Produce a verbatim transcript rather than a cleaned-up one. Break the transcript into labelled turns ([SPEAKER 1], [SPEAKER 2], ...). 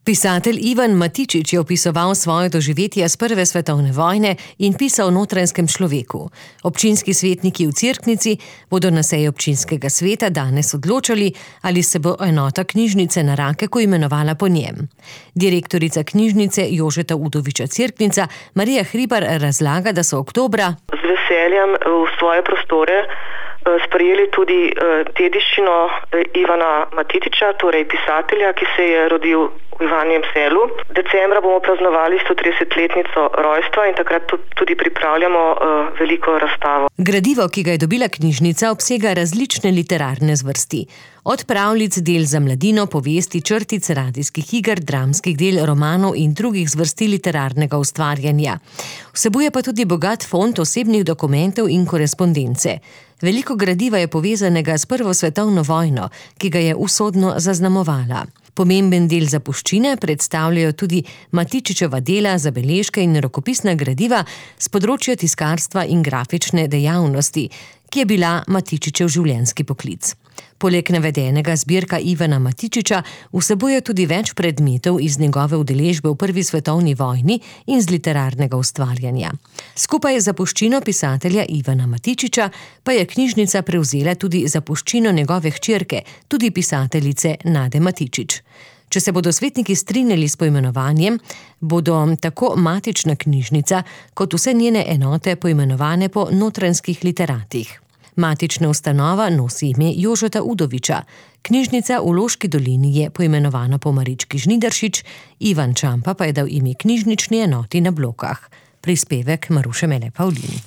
[SPEAKER 1] Pisatelj Ivan Matičič je opisoval svoje doživetje z prve svetovne vojne in pisal o notranjskem človeku. Občinski svetniki v Cerknici bodo na seji občinskega sveta danes odločali, ali se bo enota knjižnice na Rakeku imenovala po njem. Direktorica knjižnice Jožeta Udoviča Cerknica Marija Hribar razlaga, da so oktobra
[SPEAKER 2] z veseljem v svoje prostore sprejeli tudi dediščino Ivana Matičiča, torej pisatelja, ki se je rodil v Ivanjem Selu. Decembra bomo praznovali stotridesetletnico rojstva in takrat tudi pripravljamo veliko razstavo.
[SPEAKER 1] Gradivo, ki ga je dobila knjižnica, obsega različne literarne zvrsti. Od pravljic, del za mladino, povesti, črtic, radijskih iger, dramskih del, romanov in drugih zvrsti literarnega ustvarjanja. Vsebuje pa tudi bogat fond osebnih dokumentov in korespondence. Veliko gradiva je povezanega s prvo svetovno vojno, ki ga je usodno zaznamovala. Pomemben del zapuščine predstavljajo tudi Matičičeva dela, zabeležke in rokopisna gradiva s področja tiskarstva in grafične dejavnosti, ki je bila Matičičev življenjski poklic. Poleg navedenega zbirka Ivana Matičiča vsebuje tudi več predmetov iz njegove udeležbe v prvi svetovni vojni in z literarnega ustvarjanja. Skupaj z zapuščino pisatelja Ivana Matičiča pa je knjižnica prevzela tudi zapuščino njegove hčerke, tudi pisateljice Nade Matičič. Če se bodo svetniki strinjali s poimenovanjem, bodo tako matična knjižnica kot vse njene enote poimenovane po notranjskih literatih. Matična ustanova nosi ime Jožeta Udoviča, knjižnica v Loški dolini je poimenovana po Marički Žnidaršič, Ivan Čampa pa je dal ime knjižnični enoti na Blokah. Prispevek Maruše Mele Pavlin.